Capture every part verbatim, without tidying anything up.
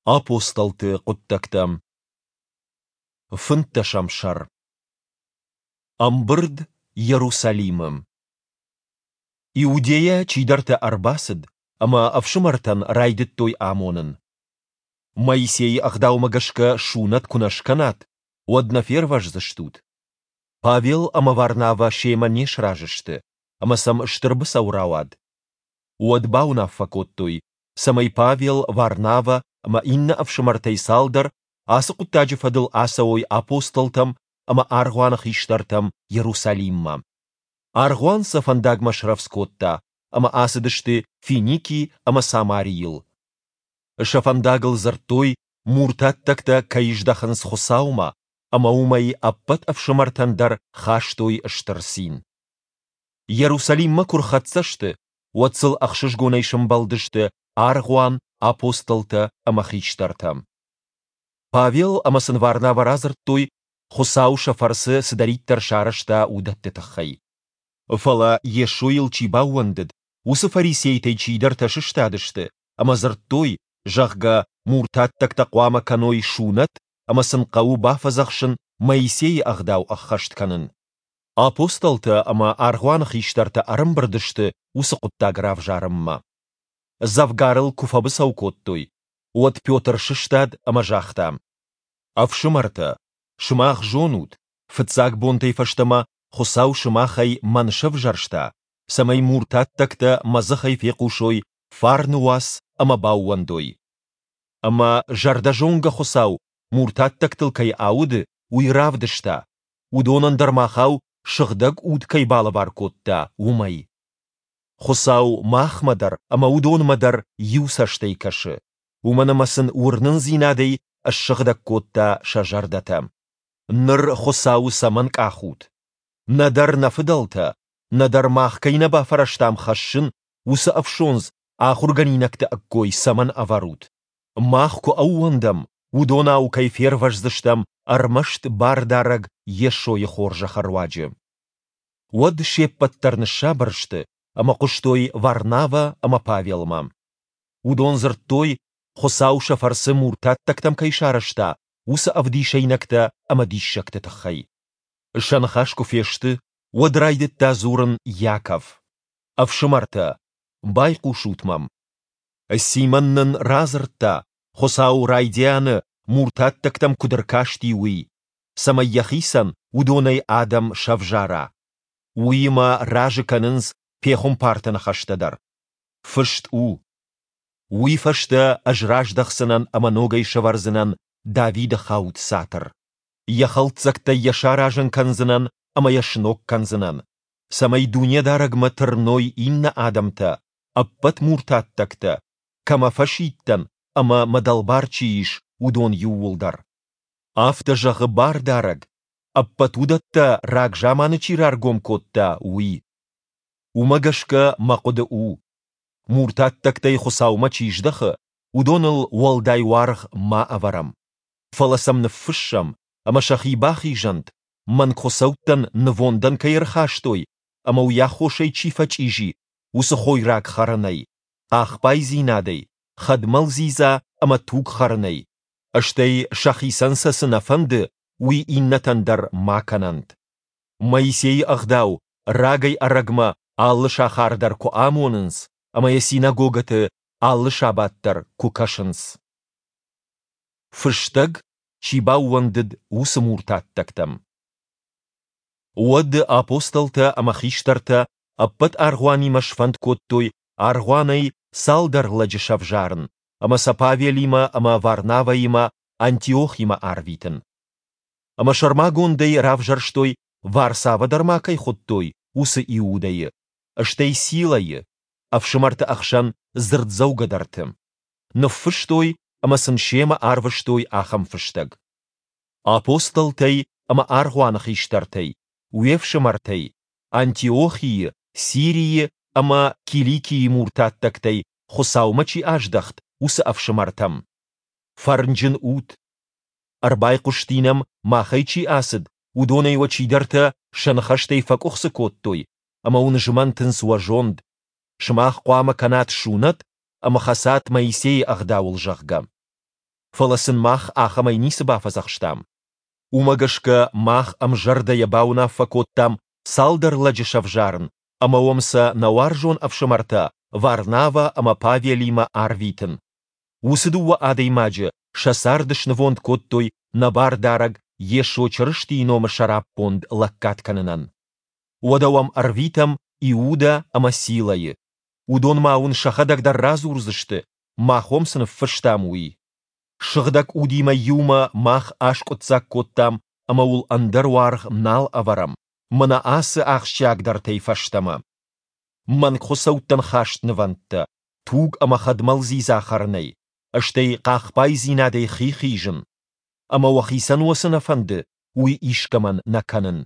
Апостолты хъуыддӕгтӕ. Фынддӕсӕм сӕр. Ӕмбырд Иерусалимы. Иудейӕ чидӕртӕ ӕрбацыд ӕмӕ ӕфсымӕртӕн райдыдтой амонын: Моисейы ӕгъдаумӕ гӕсгӕ сунӕт куы нӕ скӕнат, уӕд нӕ фервӕздзыстут. Павел ӕмӕ Варнавӕ семӕ не сразы сты, ӕмӕ сӕм стыр быцӕу рауад. Уӕд бауынаффӕ кодтой, цӕмӕй Павел, Варнавӕ ӕмӕ иннӕ ӕфсымӕртӕй цалдӕр ацы хъуыддаджы фӕдыл ацӕуой апостолтӕм ӕмӕ аргъуаны хистӕртӕм Иерусалиммӕ. Аргъуан сӕ фӕндагмӕ срӕвдз кодта, ӕмӕ ацыдысты Финики ӕмӕ Самарийыл. Сӕ фӕндагыл дзырдтой, муртаттӕгтӕ кӕй здӕхынц Хуыцаумӕ, ӕмӕ уымӕй ӕппӕт ӕфсымӕртӕн дӕр хастой стыр цин. Иерусалиммӕ куы рхӕццӕ сты, уӕд сыл ӕхсызгонӕй сӕмбӕлдысты аргъуан, апостолтӕ ӕмӕ хистӕртӕ. Павел ӕмӕ сын Варнавӕ радзырдтой, Хуыцау сӕ фӕрцы цыдӕриддӕр сарӕзта, уыдӕтты тыххӕй. Фӕлӕ Йесойыл чи баууӕндыд, уыцы фарисейтӕй чидӕртӕ сыстадысты ӕмӕ дзырдтой, зӕгъгӕ, муртаттӕгтӕ хъуамӕ кӕной сунӕт ӕмӕ сын хъӕуы бафӕдзӕхсын Моисейы ӕгъдау ӕххӕст кӕнын. Апостолтӕ ӕмӕ аргъуаны хистӕртӕ ӕрӕмбырд сты уыцы хъуыддаг равзарынмӕ. Дзӕвгар ыл куы фӕбыцӕу кодтой, уӕд Петр сыстад ӕмӕ загъта: Ӕфсымӕртӕ, сымах зонут, фыццаг бонтӕй фӕстӕмӕ Хуыцау сымахӕй мӕн сӕвзӕрста, цӕмӕй муртаттӕгтӕ мӕ дзыхӕй фехъусой фарны уац ӕмӕ баууӕндой. Ӕмӕ зӕрдӕзонгӕ Хуыцау муртаттӕгтыл кӕй ауды, уый равдыста, уыдонӕн дӕр махау Сыгъдӕг Уд кӕй балӕвар кодта, уымӕй. Хуыцау махмӕ дӕр ӕмӕ уыдонмӕ дӕр иу цӕстӕй кӕсы, уымӕн ӕмӕ сын уырнындзинадӕй ссыгъдӕг кодта сӕ зӕрдӕтӕ. Ныр Хуыцауы цӕмӕн къахут? Нӕдӕр нӕ фыдӕлтӕ, нӕдӕр мах кӕй нӕ бафӕрӕзтам хӕссын, уыцы ӕфсондз ахуыргӕнинӕгты ӕккой цӕмӕн ӕвӕрут? Мах куы ӕууӕндӕм, уыдонау кӕй фервӕздзыстӕм ӕрмӕст Бардарӕг Йесойы хорзӕхы руаджы. Уӕд се ппӕт дӕр ныссабыр сты ӕмӕ хъуыстой Варнавӕ ӕмӕ Павелмӕ. Уыдон дзырдтой, Хуыцау сӕ фӕрцы муртаттӕгтӕм кӕй сарӕзта, уыцы ӕвдисӕйнӕгтӕ ӕмӕ диссӕгты тыххӕй. Сӕ ныхас куы фесты, уӕд райдыдта дзурын Иаков: Ӕфсымӕртӕ, байхъусут мӕм. Симон нын радзырдта, Хуыцау райдианы муртаттӕгтӕм куыд ӕркасти, уый, цӕмӕй йӕхицӕн уыдонӕй адӕм сӕвзара. Уыимӕ разы кӕнынц пехуымпарты ныхӕстӕ дӕр. Фыст у: Уый фӕстӕ ӕз раздӕхдзынӕн ӕмӕ ногӕй сӕвӕрдзынӕн Давиды хауд цатыр. Йӕ хӕлддзӕгтӕй йӕ саразын кӕндзынӕн ӕмӕ йӕ сног кӕндзынӕн, цӕмӕй Дунедарӕгмӕ тырной иннӕ адӕмтӕ, ӕппӕт муртаттӕгтӕ, кӕмӕ фӕсидтӕн ӕмӕ мӕ дӕлбар чи ис, уыдон иууылдӕр. Афтӕ зӕгъы Бардарӕг, ӕппӕт уыдӕттӕ рагзаманы чи раргом кодта, уый. Уымӕ гӕсгӕ мӕ хъуыды у: муртаттӕгтӕй Хуыцаумӕ чи здӕхы, уыдоныл уӕлдай уаргъ ма ӕвӕрӕм, фӕлӕ сӕм ныффыссӕм, ӕмӕ сӕхи бахизӕнт, мӕнгхуыцӕуттӕн нывондӕн кӕй ӕрхастой ӕмӕ уый аххосӕй чи фӕчъизи, уыцы хойраг хӕрынӕй, хъахбайдзинадӕй, хӕдмӕл дзидза ӕмӕ туг хӕрынӕй, стӕй сӕхицӕн сӕ цы нӕ фӕнды, уый иннӕтӕн дӕр ма кӕнӕнт. Моисейы ӕгъдау рагӕй-ӕрӕгмӕ алы сахары дӕр куы амонынц ӕмӕ йӕ синагогӕты алы сабат дӕр куы кӕсынц. Фыстӕг, чи баууӕндыд, уыцы муртаттӕгтӕм. Уӕд апостолтӕ ӕмӕ хистӕртӕ ӕппӕт аргъуанимӕ сфӕнд кодтой аргъуанӕй цалдӕр лӕджы сӕвзарын ӕмӕ сӕ Павелимӕ ӕмӕ Варнавӕимӕ Антиохимӕ арвитын. Ӕмӕ сӕрмагондӕй равзӕрстой, Варсавӕ дӕр ма кӕй хуыдтой, уыцы Иудӕйы, стӕй Силӕйы, ӕфсымӕрты ӕхсӕн дзырддзӕугӕдӕрты. Ныффыстой ӕмӕ сын семӕ арвыстой ахӕм фыстӕг: Апостолтӕй ӕмӕ аргъуаны хистӕртӕй, уе фсымӕртӕй, Антиохийы, Сирийы ӕмӕ Киликийы муртаттӕгтӕй Хуыцаумӕ чи аздӕхт, уыцы ӕфсымӕртӕм: Фӕрнджын ут! Ӕрбайхъуысти нӕм, махӕй чи ацыд, уыдонӕй уӕ чидӕртӕ сӕ ныхӕстӕй фӕкъуыхцы кодтой ӕмӕ уын змӕнтынц уӕ зонд, сымах хъуамӕ кӕнат сунӕт ӕмӕ хӕцат Моисейы ӕгъдауыл, зӕгъгӕ. Фӕлӕ сын мах ахӕмӕй ницы бафӕдзӕхстам. Уымӕ гӕсгӕ мах ӕмзӕрдӕйӕ бауынаффӕ кодтам цалдӕр лӕджы сӕвзарын ӕмӕ уӕм сӕ нӕ уарзон ӕфсымӕртӕ Варнавӕ ӕмӕ Павелимӕ арвитын. Уыцы дыууӕ адӕймаджы сӕ цард снывонд кодтой нӕ Бардарӕг Йесо Чырыстийы номы сӕраппонд лӕггад кӕнынӕн. Уӕдӕ уӕм ӕрвитӕм Иудӕ ӕмӕ Силӕйы. Уыдон ма уын сӕхӕдӕг дӕр радзурдзысты, мах уӕм цы ныффыстам, уый. Сыгъдӕг Удимӕ иумӕ мах аскъуыддзаг кодтам ӕмӕ уыл ӕндӕр уаргъ нал ӕвӕрӕм, мӕнӕ ацы ахсджиагдӕртӕй фӕстӕмӕ. Мӕнгхуыцӕуттӕн хаст нывӕндтӕ, туг ӕмӕ хӕдмӕл дзидза хӕрынӕй, стӕй хъахбайдзинадӕй хи хизын. Ӕмӕ уӕхицӕн уӕ цы нӕ фӕнды, уый искӕмӕн нӕ кӕнын.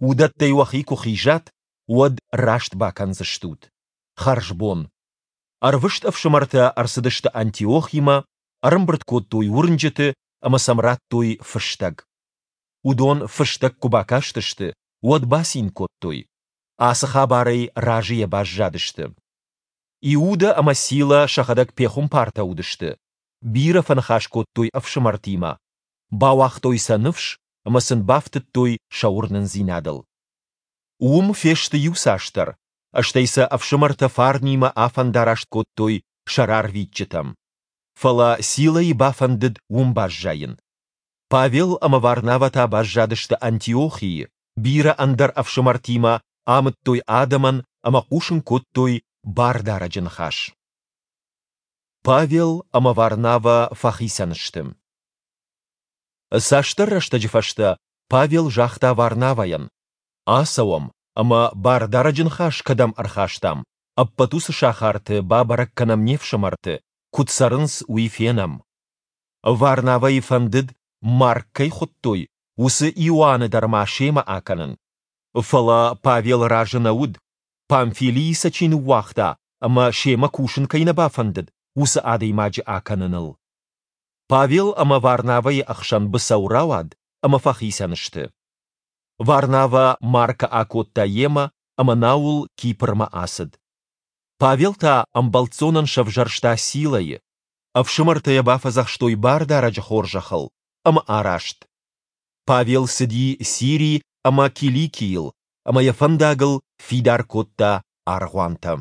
Уыдӕттӕй уӕхи куы хизат, уӕд раст бакӕндзыстут. Хӕрзбон. Ӕрвыст ӕфсымӕртӕ ӕрцыдысты Антиохимӕ, ӕрӕмбырд кодтой уырнджыты ӕмӕ сӕм радтой фыстӕг. Уыдон фыстӕг куы бакастысты, уӕд бацин кодтой. Ацы хабарӕй разыйӕ баззадысты. Иудӕ ӕмӕ Сила сӕхӕдӕг пехуымпартӕ уыдысты, бирӕ фӕныхас кодтой ӕфсымӕртимӕ, бауагътой сӕ ныфс ӕмӕ сын бафтыдтой сӕ уырнындзинадыл. Уым фесты иуцасдӕр, стӕй сӕ ӕфсымӕртӕ фарнимӕ афӕндараст кодтой сӕ рарвитджытӕм. Фӕлӕ Силӕйы бафӕндыд уым баззайын. Павел ӕмӕ Варнавӕ та баззадысты Антиохийы, бирӕ ӕндӕр ӕфсымӕртимӕ амыдтой адӕмӕн ӕмӕ хъусын кодтой Бардарӕджы ныхас. Павел ӕмӕ Варнавӕ фӕхицӕн сты. Цасдӕр рӕстӕджы фӕстӕ Павел загъта Варнавӕйӕн: Ацӕуӕм ӕмӕ Бардарӕджы ныхас кӕдӕм ӕрхастам, ӕппӕт уыцы сахарты бабӕрӕг кӕнӕм не фсымӕрты, куыд цӕрынц, уый фенӕм. Варнавӕйы фӕндыд, Марк кӕй хуыдтой, уыцы Иоанны дӕр ма семӕ акӕнын. Фӕлӕ Павел разы нӕ уыд, Памфилийы сӕ чи ныууагъта ӕмӕ семӕ кусын кӕй нӕ бафӕндыд, уыцы адӕймаджы акӕныныл. Павел ӕмӕ Варнавӕйы ӕхсӕн быцӕу рауад, ӕмӕ фӕхицӕн сты. Варнавӕ Маркы акодта йемӕ ӕмӕ науыл Кипрмӕ ацыд. Павел та ӕмбӕлццонӕн сӕвзӕрста Силӕйы. Ӕфсымӕртӕ йӕ бафӕдзӕхстой Бардарӕджы хорзӕхыл, ӕмӕ араст. Павел цыди Сири ӕмӕ Киликийыл ӕмӕ йӕ фӕндагыл фидар кодта аргъуантӕ.